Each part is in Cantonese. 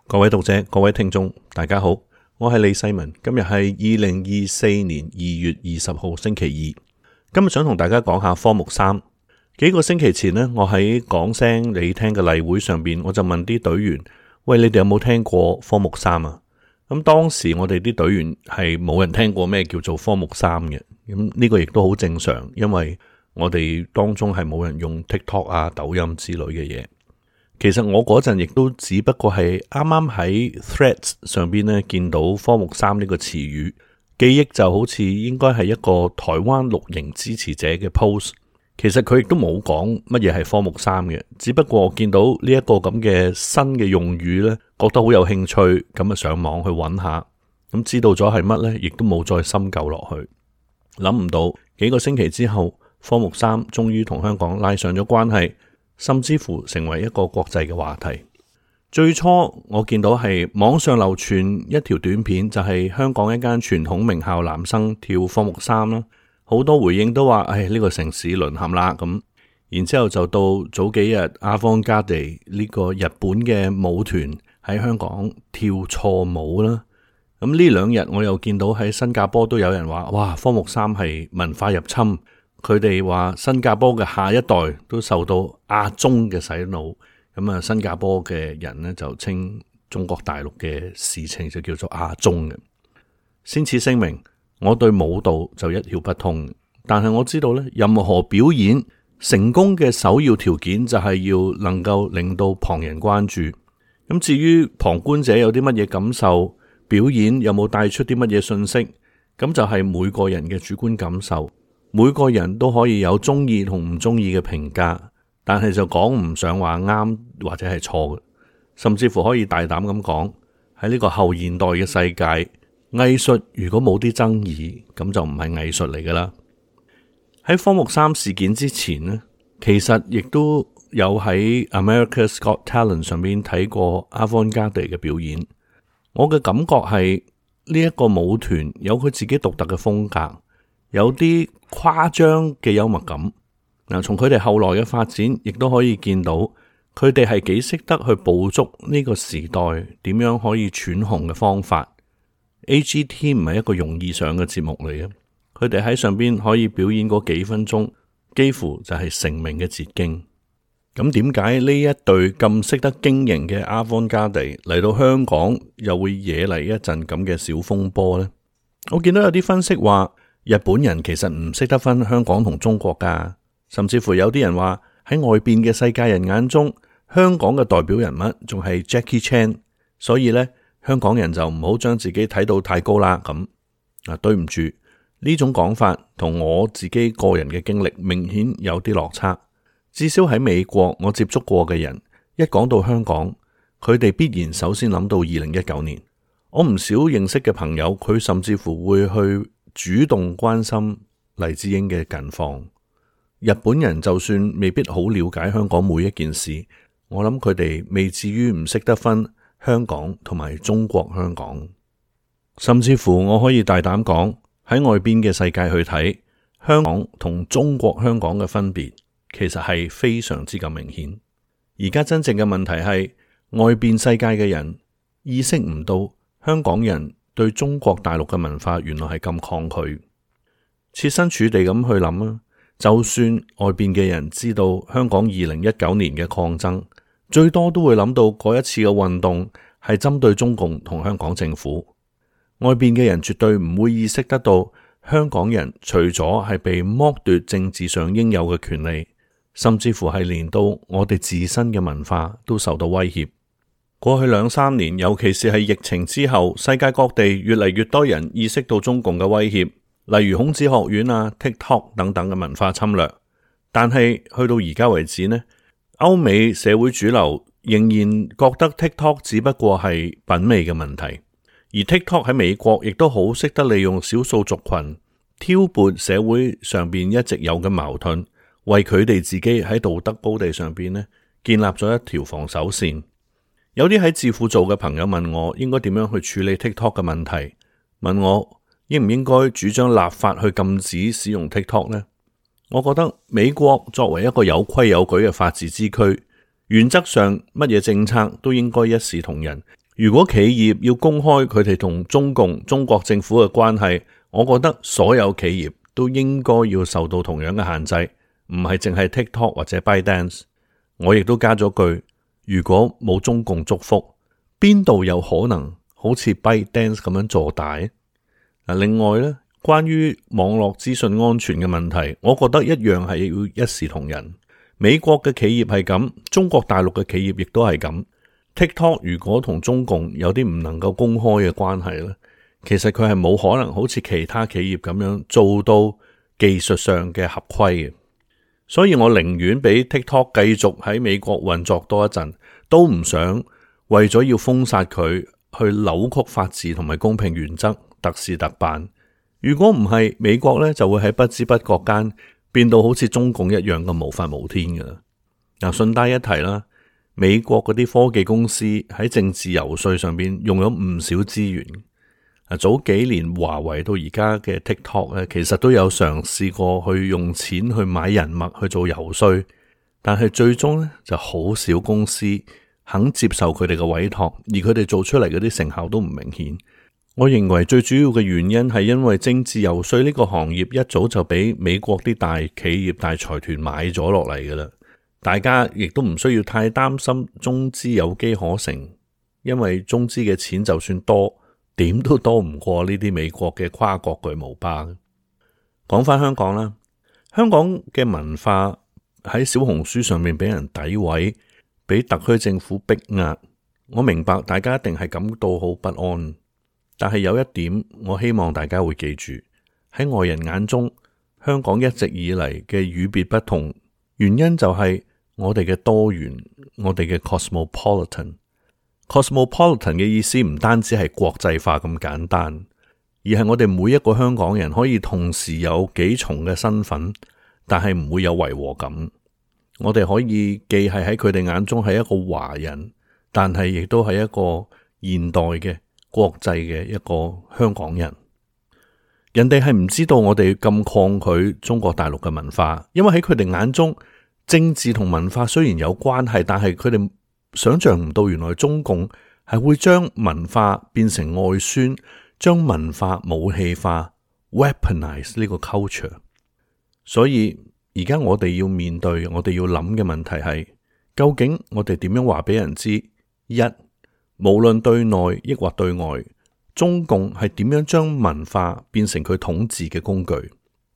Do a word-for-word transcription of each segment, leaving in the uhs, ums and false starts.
各位讀者、各位聽眾，大家好，我係李世民。今日係二零二四年二月二十號星期二。今日想同大家講下科目三。幾個星期前呢，我喺講聲你聽嘅例會上邊，我就問啲隊員：喂，你哋有冇聽過科目三啊？咁當時我哋啲隊員係冇人聽過咩叫做科目三嘅。咁呢個亦都好正常，因為我哋當中係冇人用 TikTok 啊、抖音之類嘅嘢。其實我嗰陣亦都只不過係啱啱喺 Threads 上邊咧見到科目三呢個詞語，記憶就好似應該係一個台灣綠營支持者嘅 post。其實佢亦都冇講乜嘢係科目三嘅，只不過見到呢一個咁嘅新嘅用語咧，覺得好有興趣，咁啊上網去揾下，咁知道咗係乜呢，亦都冇再深究落去。諗唔到幾個星期之後，科目三終於同香港拉上咗關係。甚至乎成為一個國際嘅話題。最初我見到係網上流傳一條短片，就係香港一間傳統名校男生跳科目三啦，好多回應都話：唉，呢個城市淪陷啦咁。然之後就到早幾日，Avantgarde呢個日本嘅舞團喺香港跳錯舞啦。咁呢兩日我又見到喺新加坡都有人話：哇，科目三係文化入侵。佢哋話新加坡嘅下一代都受到亞中嘅洗腦，咁啊新加坡嘅人呢，就稱中國大陸嘅事情就叫做亞中嘅。先此聲明，我對舞蹈就一竅不通，但係我知道呢，任何表演成功嘅首要條件就係要能夠令到旁人關注。咁至於旁觀者有啲乜嘢感受，表演有冇帶出啲乜嘢信息，咁就係每個人嘅主觀感受。每個人都可以有中意同唔中意嘅評價，但係就講唔上話啱或者係錯嘅，甚至乎可以大膽咁講，喺呢個後現代嘅世界，藝術如果冇啲爭議，咁就唔係藝術嚟噶啦。喺科目三事件之前呢，其實亦都有喺 America's Got Talent 上面睇過 Avantgarde 嘅表演。我嘅感覺係呢一個舞團有佢自己獨特嘅風格。有啲誇張嘅幽默感，嗱，從佢哋後來嘅發展，亦都可以見到佢哋係幾識得去捕捉呢個時代點樣可以喘紅嘅方法。A G T 唔係一個容易上嘅節目嚟嘅，佢哋喺上邊可以表演嗰幾分鐘，幾乎就係成名嘅捷徑。咁點解呢一隊咁識得經營嘅 Avantgarde 嚟到香港又會惹嚟一陣咁嘅小風波呢？我見到有啲分析話，日本人其實唔識得分香港同中國噶，甚至乎有啲人話喺外邊嘅世界人眼中，香港嘅代表人物仲係 Jackie Chan， 所以呢，香港人就唔好將自己睇到太高啦咁。啊，對唔住，呢種講法同我自己個人嘅經歷明顯有啲落差。至少喺美國我接觸過嘅人，一講到香港，佢哋必然首先諗到二零一九年。我唔少認識嘅朋友，佢甚至乎會去主動關心黎智英嘅近況。日本人就算未必好了解香港每一件事，我諗佢哋未至於唔識得分香港同埋中國香港。甚至乎我可以大膽講，喺外邊嘅世界去睇香港同中國香港嘅分別，其實係非常之咁明顯。而家真正嘅問題係外邊世界嘅人意識唔到香港人對中國大陸嘅文化原來係咁抗拒。設身處地咁去諗啊，就算外邊嘅人知道香港二零一九年嘅抗爭，最多都會諗到嗰一次嘅運動係針對中共同香港政府。外邊嘅人絕對唔會意識得到香港人除咗係被剝奪政治上應有嘅權利，甚至乎係連到我哋自身嘅文化都受到威脅。過去兩三年，尤其是係疫情之後，世界各地越嚟越多人意識到中共嘅威脅，例如孔子學院啊、TikTok 等等嘅文化侵略。但係去到而家為止呢，歐美社會主流仍然覺得 TikTok 只不過係品味嘅問題，而 TikTok 喺美國亦都好識得利用少數族群挑撥社會上邊一直有嘅矛盾，為佢哋自己喺道德高地上邊呢建立咗一條防守線。有啲喺智庫做嘅朋友問我應該點樣去處理 TikTok 嘅問題，問我應唔應該主張立法去禁止使用 TikTok 呢？我覺得美國作為一個有規有矩嘅法治之區，原則上乜嘢政策都應該一視同仁，如果企業要公開佢哋同中共、中國政府嘅關係，我覺得所有企業都應該要受到同樣嘅限制，唔係淨係 TikTok 或者 ByteDance。我亦都加咗句，如果冇中共祝福，邊度有可能好似 ByteDance 咁樣做大？另外呢，關於網絡資訊安全嘅問題，我覺得一樣係要一視同仁。美國嘅企業係咁，中國大陸嘅企業亦都係咁。TikTok 如果同中共有啲唔能夠公開嘅關係咧，其實佢係冇可能好似其他企業咁樣做到技術上嘅合規嘅。所以我寧願俾 TikTok 繼續喺美國運作多一陣，都唔想為咗要封殺佢去扭曲法治同埋公平原則，特事特辦。如果唔係，美國咧就會喺不知不覺間變到好似中共一樣咁無法無天噶啦。嗱，順帶一提啦。美國嗰啲科技公司喺政治遊說上邊用咗唔少資源。啊，早幾年華為到而家嘅 TikTok 咧，其實都有嘗試過去用錢去買人脈去做遊說，但係最終咧就好少公司肯接受佢哋嘅委託，而佢哋做出嚟嗰啲成效都唔明顯。我認為最主要嘅原因係因為政治遊說呢個行業一早就俾美國啲大企業、大財團買咗落嚟噶啦。大家亦都唔需要太擔心中資有機可乘，因為中資嘅錢就算多，點都多唔過呢啲美國嘅跨國巨無霸。講返香港啦，香港嘅文化喺小紅書上面俾人詆毀，俾特區政府逼壓，我明白大家一定係感到好不安。但係有一點，我希望大家會記住，喺外人眼中，香港一直以嚟嘅與別不同，原因就係我哋嘅多元，我哋嘅 cosmopolitan。cosmopolitan 嘅意思唔單止係國際化咁簡單，而係我哋每一個香港人可以同時有幾重嘅身份，但係唔會有違和感。我哋可以既係喺佢哋眼中係一個華人，但係亦都係一個現代嘅國際嘅一個香港人。人哋係唔知道我哋咁抗拒中國大陸嘅文化，因為喺佢哋眼中，政治同文化雖然有關係，但係佢哋想象唔到原來中共係會將文化變成外宣，將文化武器化 weaponize 呢個 culture。 所以而家我哋要面對，我哋要諗嘅問題係，究竟我哋點樣話俾人知？一，無論對內抑或對外，中共係點樣將文化變成佢統治嘅工具？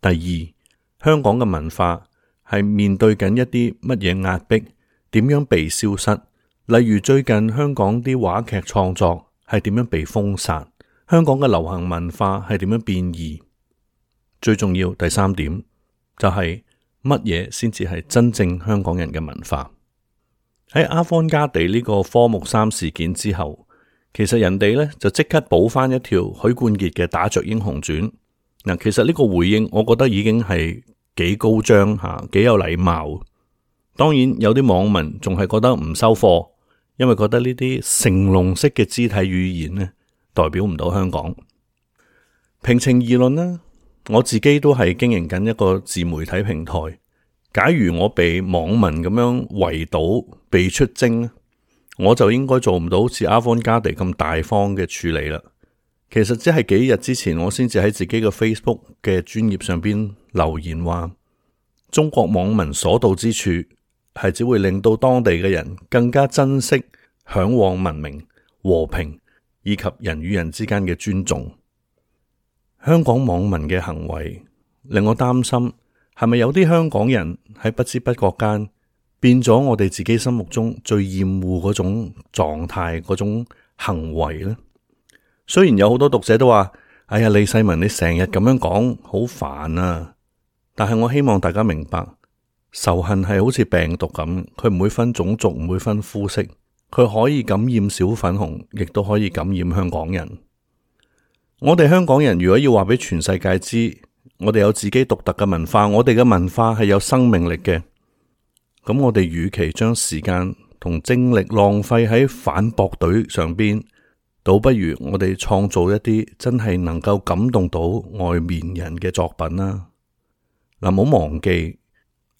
第二，香港嘅文化係面對緊一啲乜嘢壓迫，點樣被消失？例如最近香港啲話劇創作係點樣被封殺？香港嘅流行文化係點樣變異？最重要第三點就係乜嘢先至係真正香港人嘅文化？喺阿方加地呢個科目三事件之後，其實人哋呢就即刻補翻一條許冠傑嘅打雀英雄傳。嗱，其實呢個回應我覺得已經係幾高張吓，幾有禮貌。當然有啲網民仲係覺得唔收貨，因為覺得呢啲成龍式嘅肢體語言呢代表唔到香港。平情而論呢，我自己都係經營緊一個自媒體平台。假如我被網民咁樣圍堵、被出征，我就應該做唔到好似阿方加地咁大方嘅處理啦。其實只係幾日之前，我先至喺自己嘅 Facebook 嘅專頁上邊留言話，中國網民所到之處係只會令到當地嘅人更加珍惜、向往文明、和平以及人與人之間嘅尊重。香港網民嘅行為令我擔心，係咪有啲香港人喺不知不覺間變咗我哋自己心目中最厭惡嗰種狀態、嗰種行為呢？雖然有好多讀者都話，哎呀，李世民你成日咁樣講好煩啊，但係我希望大家明白，仇恨係好似病毒咁，佢唔會分種族，唔會分膚色，佢可以感染小粉紅，亦都可以感染香港人。我哋香港人如果要話俾全世界知，我哋有自己獨特嘅文化，我哋嘅文化係有生命力嘅，咁我哋與其將時間同精力浪費喺反駁隊上邊，倒不如我哋創造一啲真係能夠感動到外面人嘅作品啦。嗱，唔好忘記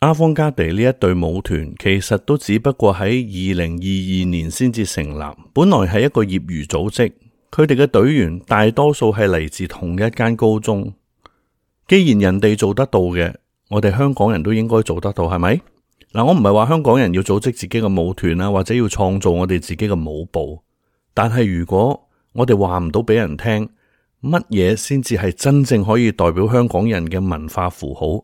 阿方加地呢一隊舞團其實都只不過喺二零二二年先至成立，本來係一個業餘組織，佢哋嘅隊員大多數係嚟自同一間高中。既然人哋做得到嘅，我哋香港人都應該做得到，係咪？嗱，我唔係話香港人要組織自己嘅舞團啊，或者要創造我哋自己嘅舞步，但係如果我哋話唔到俾人聽，乜嘢先至係真正可以代表香港人嘅文化符號？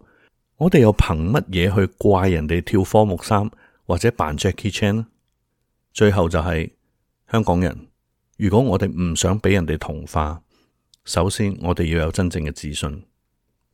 我哋又憑乜嘢去怪人哋跳科目三或者扮 Jackie Chan 呢？最後就係、是、香港人，如果我哋唔想俾人哋同化，首先我哋要有真正嘅自信。